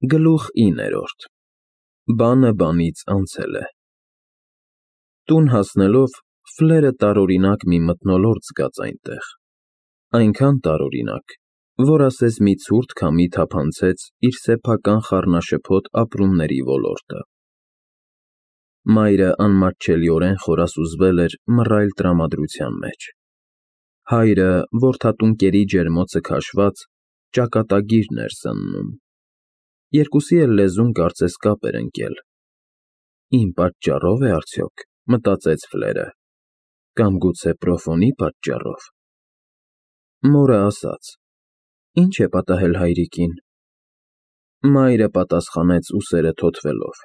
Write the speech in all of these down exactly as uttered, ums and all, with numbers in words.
Գլուխ իններորդ Բանը բանից անցել է։ Տուն հասնելով Ֆլերը տարօրինակ մի մթնոլորտ զգաց այնտեղ, այնքան տարօրինակ, որ ասես մի ցուրտ քամի թափանցեց իր սեփական խառնաշփոթ ապրումների ոլորտը։ Մայրը անմատչելիորեն խորասուզվել էր մռայլ տրամադրության մեջ։ Հայրը որդատուն կերի ջերմոցը քաշված, ճակատագիրն էր զննում։ Երկուսի էլ լեզուն կարծես կապ էր ընկել։ Իմ պատճառո՞վ է արդյոք, մտածեց Ֆլերը, կամ գուցե Պրոֆոնի պատճառով։ Մորը ասաց. Ի՞նչ է պատահել հայրիկին։ Մայրը պատասխանեց ուսերը թոթվելով.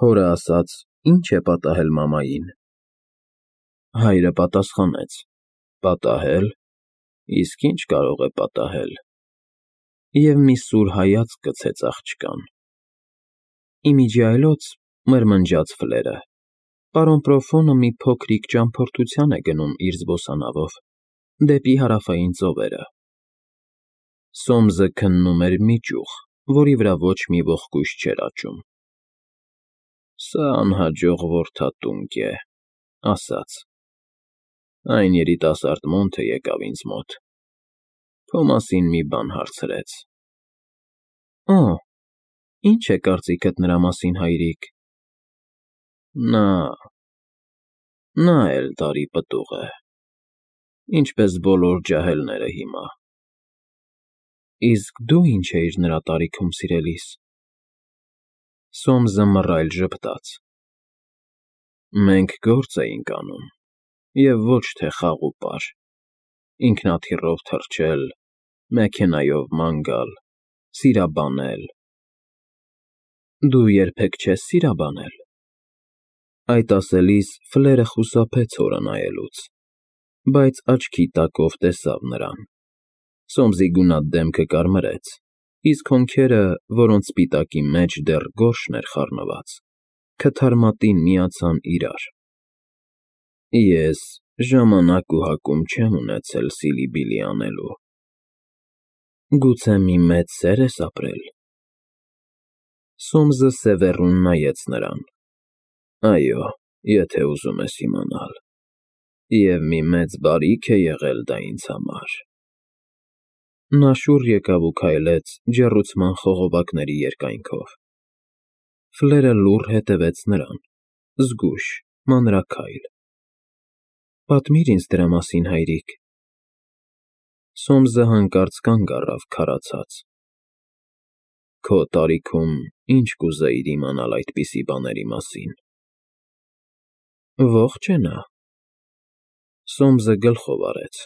Հորը ասաց. Ի՞նչ է պատահել մամային։ Հայրը պատասխանեց. Պատահել, իսկ ի՞նչ կարող է պատահել։ Եվ մի սուր հայացք գցեց աղջկան։ Ի միջի այլոց, մրմնջաց Ֆլերը, պարոն Պրոֆոնը մի փոքրիկ ճամփորդության է գնում իր զբոսանավով, դեպի հարավային ծովերը։ Սոմսը քննում էր մի ճյուղ, որի վրա ոչ մի ողկույզ չէր աճում։ Սա անհաջող որդատունկ է, ասաց։ Այն երիտասարդ մոնթը եկավ ինձ մոտ, քո մասին մի բան հարցրեց։ Օ, ի՞նչ է կարծիքդ նրա մասին, հայրիկ։ Նա… նա էլ տարի պտուղ է, ինչպես բոլոր ջահելները հիմա։ Իսկ դու ի՞նչ էիր նրա տարիքում, սիրելիս։ Սոմսը մռայլ ժպտաց։ Մենք գործ էինք անում, և ոչ թե խաղ ու պար, ինքնաթիռով թռչել, մեքենայով ման գալ, սիրաբանել։ Դու երբեք չես սիրաբանել։ Այդ ասելիս Ֆլերը խուսափեց հորը նայելուց, բայց աչքի տակով տեսավ նրան։ Սոմսի գունատ դեմքը կարմրեց, իսկ հոնքերը, որոնց սպիտակի մեջ դեռ գորշն էր խառնված, քթարմատին միացան իրար։ Ես ժամանակ ու հակում չեմ ունեցել սիլի֊բիլի անելու։ Գուցե մի մեծ սեր ես ապրել։ Սոմսը սևեռուն նայեց նրան։ Այո, եթե ուզում ես իմանալ։ Եվ մի մեծ բարիք է եղել դա ինձ համար։ Նա շուռ եկավ ու քայլեց ջեռուցման խողովակների երկայնքով։ Ֆլերը լուռ հետևեց նրան, զգույշ, մանրաքայլ։ Պատմիր ինձ դրա մասին, հայրիկ։ Սոմսը հանկարծ կանգ առավ քարացած։ Քո տարիքում ինչ կուզեիր իմանալ այդպիսի բաների մասին։ Ողջ է նա։ Սոմսը գլխով արեց։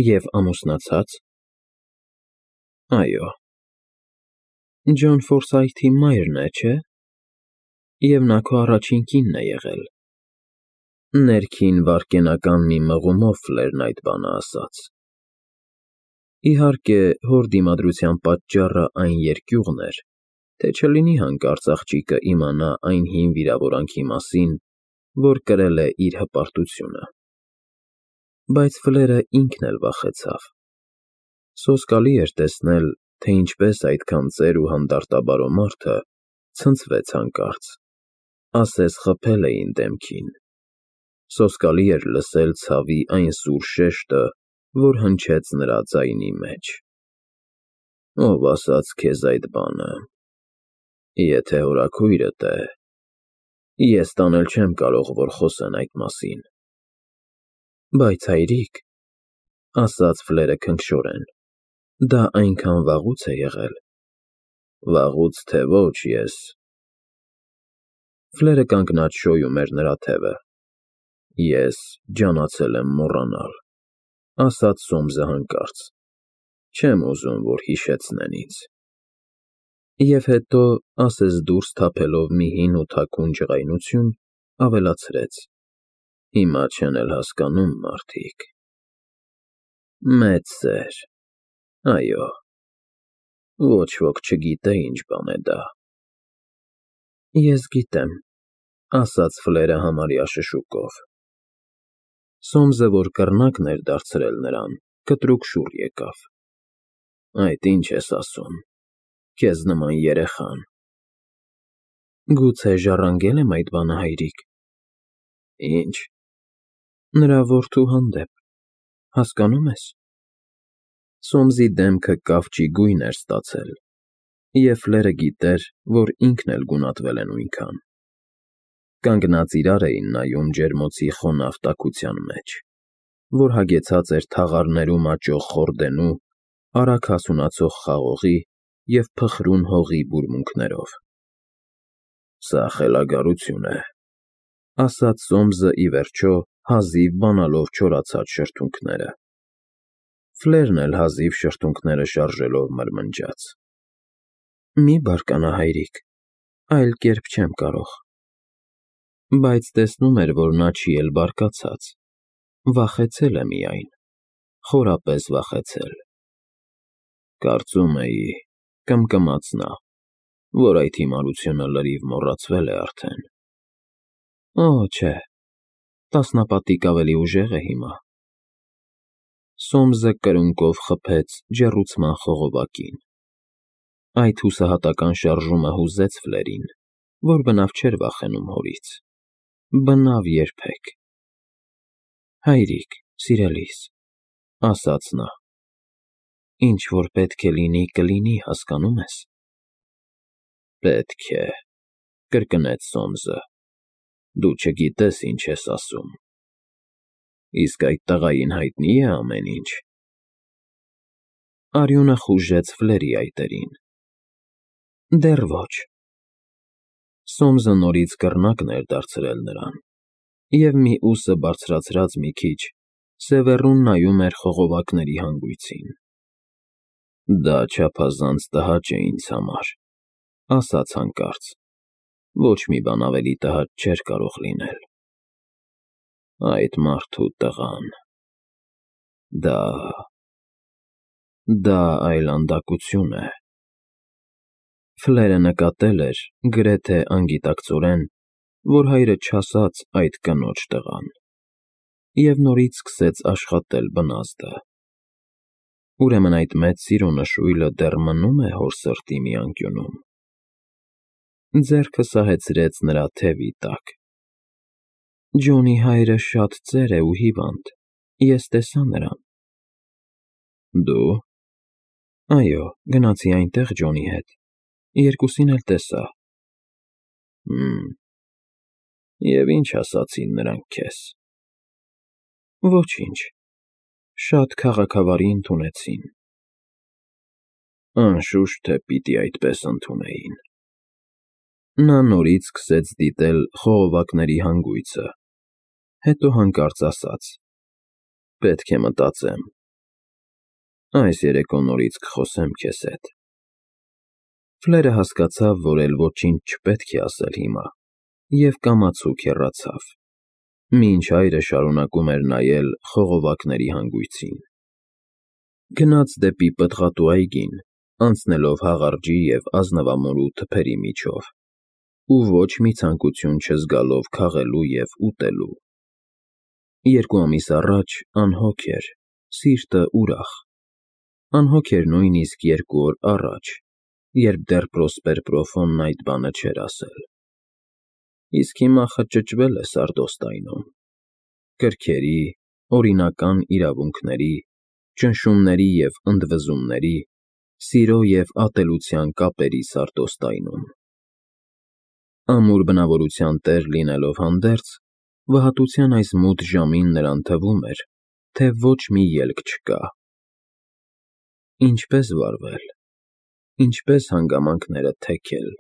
Եվ ամուսնացա՞ծ։ Այո։ Ջոն Ֆորսայթի մայրն է, չէ՞։ Եվ նա քո առաջին կինն է եղել։ Ներքին վայրկենական մի մղումով Ֆլերն այդ բանը ասաց։ Իհարկե, հոր դիմադրության պատճառը այն երկյուղն էր, թե չլինի հանկարծ աղջիկը իմանա այն հին վիրավորանքի մասին, որ կրել է իր հպարտությունը։ Բայց Ֆլերը ինքն էլ վախեցավ։ Սոսկալի էր տեսնել, թե ինչպես այդքան ծեր ու հանդարտաբարո մարդը ցնցվեց հանկարծ, ասես խփել էին դեմքին։ Սոսկալի էր լսել ցավի այն սուր շեշտը, որ հնչեց նրա ձայնի մեջ։ Ով ասաց քեզ այդ բանը։ Եթե հորաքույրդ է, ես տանել չեմ կարող, որ խոսեն այդ մասին։ Բայց հայրիկ, ասաց Ֆլերը քնքշորեն, դա այնքան վաղուց է եղել։ Վաղուց թե ոչ, ես… Ֆլերը կանգնած շոյում էր նրա թևը։ Ես ջանացել եմ մոռանալ, ասաց Սոմսը հանկարծ։ Չեմ ուզում, որ հիշեցնեն ինձ։ Եվ հետո, ասես դուրս թափելով մի հին ու թաքուն ջղայնություն, ավելացրեց. Հիմա չեն էլ հասկանում մարդիկ։ Մեծ սեր, այո, ոչ ոք չգիտե ինչ բան է դա։ Ես գիտեմ, ասաց Ֆլերը համարյա շշուկով։ Սոմսը, որ կռնակն էր դարձրել նրան, կտրուկ շուռ եկավ։ Այդ ինչ ես ասում։ Քեզ նման երեխան։ Գուցե ժառանգել եմ այդ բանը, հայրիկ։ Ինչ։ Նրա որդու հանդեպ, հասկանո՞ւմ ես։ Սոմսի դեմքը կավճի գույն էր ստացել, և Ֆլերը գիտեր, որ ինքն էլ գունատվել է նույնքան։ Կանգնած իրար էին նայում ջերմոցի խոնավ տաքության մեջ, որ հագեցած էր թաղարներում աճող խորդենու, արագ հասունացող խաղողի և փխրուն հողի բուրմունքներով։ Սա խելագարություն է, ասաց Սոմսը ի վերջո, հազիվ բանալով չորացած շրթունքները։ Ֆլերն էլ հազիվ շրթունքները շարժելով մրմնջաց. Մի բարկանա, հայրիկ, այլ կերպ չեմ կարող։ Բայց տեսնում էր, որ նա չի էլ բարկացած, վախեցել է միայն, խորապես վախեցել։ Կարծում էի, կմկմաց նա, որ այդ հիմարությունը լրիվ մոռացվել է արդեն։ Օ, չէ, տասնապատիկ ավելի ուժեղ է հիմա։ Սոմսը կրունկով խփեց ջեռուցման խողովակին։ Այդ հուսահատական շարժումը հուզեց Ֆլերին, որ բնավ չէր վախենում հորից։ Բնավ երբեք։ Հայրիկ, սիրելիս, ասաց նա, ինչ որ պետք է լինի, կլինի, հասկանո՞ւմ ես։ Պետք է, կրկնեց Սոմսը, դու չգիտես ինչ ես ասում։ Իսկ այդ տղային հայտնի՞ է ամեն ինչ։ Արյունը խուժեց Ֆլերի այտերին։ Դեռ ոչ։ Սոմսը նորից կռնակն էր դարձրել նրան, և մի ուսը բարձրացրած մի քիչ, սևեռուն նայում էր խողովակների հանգույցին։ Դա չափազանց տհաճ է ինձ համար, ասաց հանկարծ, ոչ մի բան ավելի տհաճ չէր կարող լինել։ Այդ մարդու տղան… Դա… դա այլանդակություն է։ Ֆլերը նկատել էր, գրեթե անգիտակցորեն, որ հայրը չասաց այդ կնոջ տղան, և նորից սկսեց աշխատել բնազդը։ Ուրեմն այդ մեծ սիրո նշույլը դեռ մնում է հոր սրտի մի անկյունում։ Ձեռքը սահեցրեց նրա թևի տակ։ Ջոնի հայրը շատ ծեր է ու հիվանդ, ես տեսա նրան։ Դու… Այո, գնացի այնտեղ Ջոնի հետ, երկուսին էլ տեսա։ Հըմ… Եվ ինչ ասացին նրանք քեզ։ Ոչինչ, շատ քաղաքավարի ընդունեցին։ Անշուշտ թե պիտի այդպես ընդունեին։ Նա նորից սկսեց դիտել խողովակների հանգույցը, հետո հանկարծ ասաց. Պետք է մտածեմ։ Այս երեկո նորից կխոսեմ քեզ հետ։ Ֆլերը հասկացավ, որ էլ ոչինչ չպետք է ասել հիմա, և կամացուկ հեռացավ, մինչ հայրը շարունակում էր նայել խողովակների հանգույցին։ Գնաց դեպի պտղատու այգին, անցնելով հաղարջի և ազնվամորու թփերի միջով, ու ոչ մի ցանկություն չզգալով քաղելու և ուտելու։ Երկու ամիս առաջ անհոգ էր, սիրտը ուրախ։ Անհոգ էր նույնիսկ երկու օր առաջ, երբ դեռ Պրոսպեր֊Պրոֆոնն այդ բանը չէր ասել։ Իսկ հիմա խճճվել է սարդոստայնում։ Կրքերի, օրինական իրավունքների, ճնշումների և ընդվզումների, սիրո և ատելության կապերի սարդոստայնում։ Ամուր բնավորության տեր լինելով հանդերձ, վհատության այս մութ ժամին նրան թվում էր, թե ոչ մի ելք չկա։ Ինչպե՞ս վարվել, ինչպե՞ս հանգամանքները թեքել,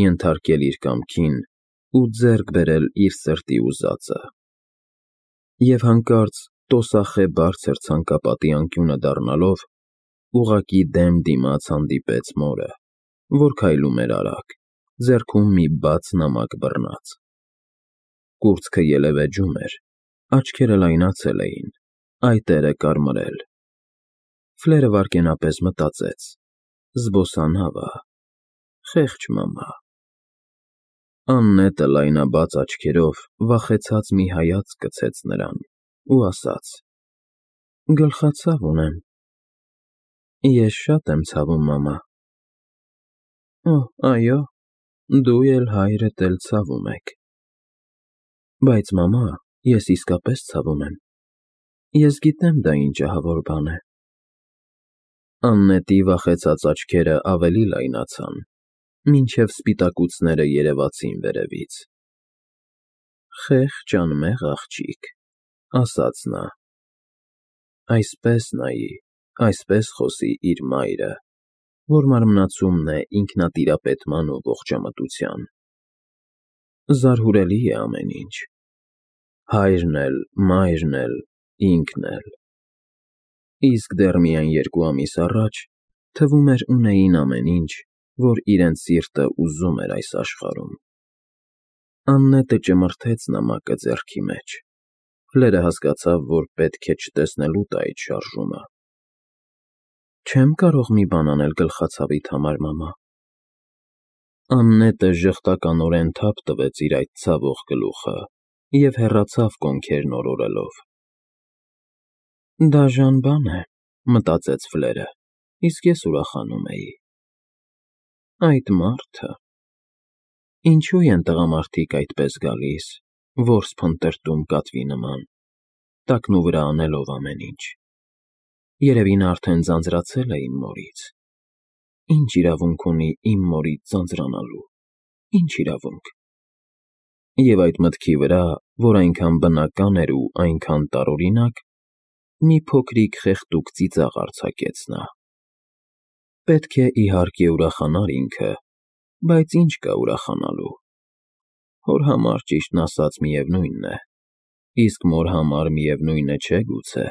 ենթարկել իր կամքին ու ձեռք բերել իր սրտի ուզածը։ Եվ հանկարծ տոսախե բարձր ցանկապատի անկյունը դառնալով, ուղղակի դեմ դիմաց հանդիպեց մորը, որ քայլում էր արագ, ձեռքում մի բաց նամակ բռնած։ Կուրծքը ելևէջում էր, աչքերը լայնացել էին, այտերը կարմրել։ Ֆլերը վայրկենապես մտածեց. զբոսանավը, խեղճ մամա։ Աննետը լայնաբաց աչքերով վախեցած մի հայացք գցեց նրան ու ասաց. Գլխացավ ունեմ։ Ես շատ եմ ցավում, մամա։ Օ, այո, դու էլ հայրդ էլ ցավում եք։ Բայց մամա, ես իսկապես ցավում եմ։ Ես գիտեմ դա ինչ ահավոր բան է։ Աննետի վախեցած աչքերը ավելի լայնացան, մինչև սպիտակուցները երևացին վերևից։ Խեղճ անմեղ աղջիկ, ասաց նա։ Այսպես նայի, այսպես խոսի իր մայրը, որ մարմնացումն է ինքնատիրապետման ու ողջամտության։ Զարհուրելի է ամեն ինչ։ Հայրն էլ, մայրն էլ, ինքն էլ։ Իսկ դեռ միայն երկու ամիս առաջ թվում էր ունեին ամեն ինչ, որ իրենց սիրտը ուզում էր այս աշխարհում։ Աննետը ճմրթեց նամակը ձեռքի մեջ։ Ֆլերը հասկացավ, որ պետք է չտեսնելու տա այդ շարժումը։ Չեմ կարող մի բան անել գլխացավիդ համար, մամա։ Աննետը ժխտականորեն թափ տվեց իր այդ ցավող գլուխը և հեռացավ կոնքերն օրորելով։ Դաժան բան է, մտածեց Ֆլերը, իսկ ես ուրախանում էի։ Այդ մարդը… Ինչու են տղամարդիկ այդպես գալիս, որս փնտրտում կատվի նման, տակնու վրա անելով ամեն ինչ։ Երևի նա արդեն ձանձրացել է իմ մորից։ Ինչ իրավունք ունի իմ մորից ձանձրանալու, ինչ իրավունք։ Եվ այդ մտքի վրա, որ այնքան բնական էր ու այնքան տարօրինակ, մի փոքրիկ խեղդուկ ծիծաղ արձակեց նա։ Պետք է իհարկե ուրախանար ինքը, բայց ինչ կա ուրախանալու։ Հոր համար ճիշտն ասած միևնույնն է, իսկ մոր համար միևնույնը չէ գուցե։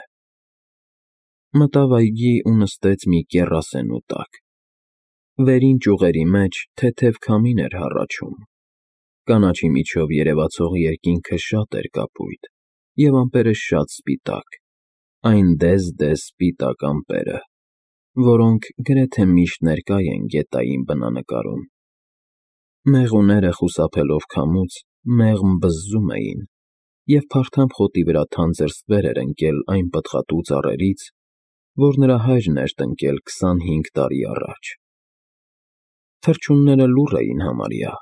Մտավ այգի ու նստեց մի կեռասենյու տակ։ Վերին ճյուղերի մեջ թեթև քամին էր հառաչում։ Կանաչի միջով երևացող երկինքը շատ էր կապույտ, և ամպերը շատ սպիտակ, այն դեզ-դեզ սպիտակ ամպերը, որոնք գրեթե միշտ ներկա են գետային բնանկարում։ Մեղուները խուսափելով քամուց մեղմ բզզում էին, և փարթամ խոտի վրա թանձր ստվեր էր ընկել այն պտղատու ծառերից, որ նրա հայրն էր տնկել քսանհինգ տարի առաջ։ Թռչունները լուռ էին համարյա,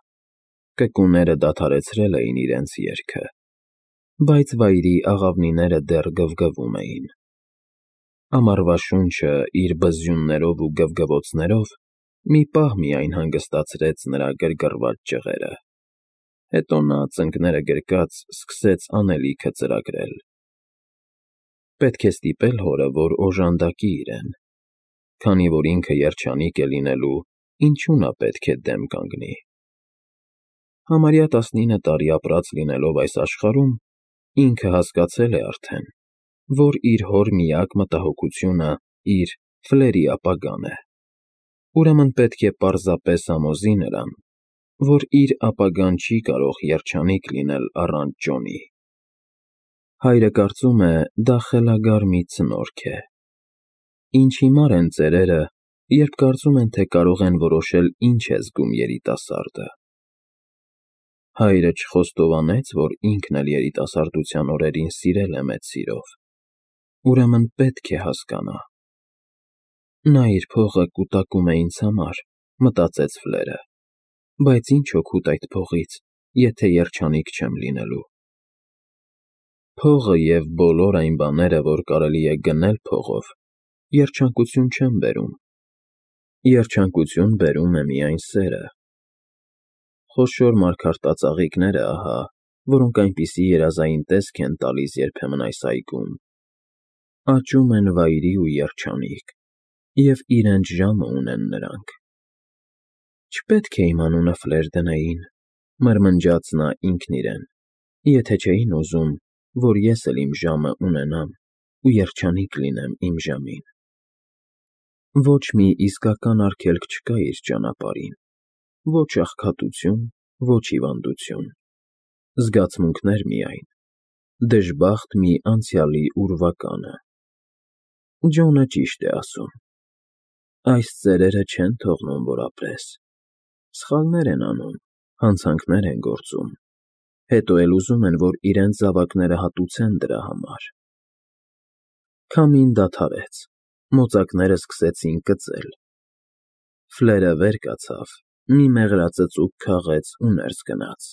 կկուները դադարեցրել էին իրենց երգը, բայց վայրի աղավնիները դեռ գվգվում էին։ Ամառվա շունչը իր բզզյուններով ու գվգվոցներով մի պահ միայն հանգստացրեց նրա գրգռված ճղերը, հետո նա, ծնկները գրկած, սկսեց անելիքը ծրագրել։ Պետք է ստիպել հորը, որ օժանդակի իրեն, քանի որ ինքը երջանիկ է լինելու, ինչու նա պետք է դեմ կանգնի։ Համարյա տասնինը տարի ապրած լինելով այս աշխարհում, ինքը հասկացել է արդեն, որ իր հոր միակ մտահոգությունը իր Ֆլերի ապագան է։ Ուրեմն պետք է պարզապես համոզի նրան, որ իր ապագան չի կարող երջանիկ լինել առանց Ջոնի։ Հայրը կարծում է, դա խելագար մի ցնորք է։ Ինչ հիմար են ծերերը, երբ կարծում են, թե կարող են որոշել ինչ է զգում երիտասարդը։ Հայրը չխոստովանեց, որ ինքն էլ երիտասարդության օրերին սիրել է մեծ սիրով։ Ուրեմն պետք է հասկանա։ Նա իր փողը կուտակում է ինձ համար, մտածեց Ֆլերը, բայց ինչ օգուտ այդ փողից, եթե երջանիկ չեմ լինելու։ Փողը և բոլոր այն բաները, որ կարելի է գնել փողով, երջանկություն չեն բերում։ Երջանկություն բերում է միայն սերը։ Խոշոր մարգարտածաղիկները ահա, որոնք այնպիսի երազային տեսք են տալիս երբեմն այս այգում, աճում են վայրի ու երջանիկ, և իրենց ժամը ունեն նրանք։ Չպետք է իմ անունը Ֆլեր դնեին, մրմնջաց նա ինքն իրեն, եթե չէին ուզում, որ ես էլ իմ ժամը ունենամ ու երջանիկ լինեմ իմ ժամին։ Ոչ մի իսկական արգելք չկա իր ճանապարհին, ոչ աղքատություն, ոչ հիվանդություն, զգացմունքներ միայն, դժբախտ մի անցյալի ուրվականը։ Ջոնը ճիշտ է ասում։ Այս ծերերը չեն թողնում, որ ապրես։ Սխալներ են անում, հանցանքներ են գործում, հետո էլ ուզում են, որ իրենց զավակները հատուցեն դրա համար։ Քամին դադարեց, մոծակները սկսեցին կծել։ Ֆլերը վեր կացավ, մի մեղրածծուկ քաղեց ու ներս գնաց։